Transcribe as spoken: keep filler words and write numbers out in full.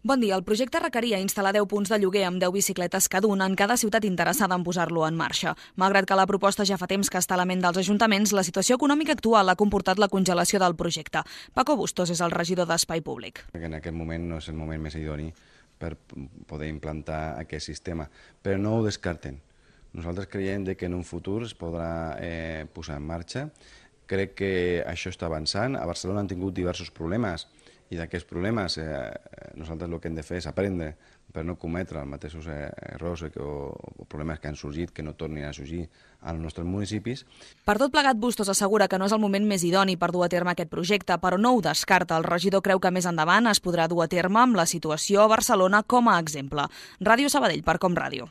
Bon dia. El projecte requeria instal·lar deu punts de lloguer amb deu bicicletes cada un en cada ciutat interessada en posar-lo en marxa. Malgrat que la proposta ja fa temps que està a la ment dels ajuntaments, la situació econòmica actual ha comportat la congelació del projecte. Paco Bustos és el regidor d'Espai Públic. En aquest moment no és el moment més idoni per poder implantar aquest sistema, però no ho descarten. Nosaltres creiem que en un futur es podrà eh, posar en marxa. Crec que això està avançant. A Barcelona han tingut diversos problemes i d'aquests problemes eh, nosaltres el que hem de fer és aprendre per no cometre els mateixos eh, errors o, o problemes que han sorgit, que no tornin a sorgir als nostres municipis. Per tot plegat, Bustos assegura que no és el moment més idoni per dur a terme aquest projecte, però no ho descarta. El regidor creu que més endavant es podrà dur a terme amb la situació a Barcelona com a exemple. Ràdio Sabadell, per Com Ràdio.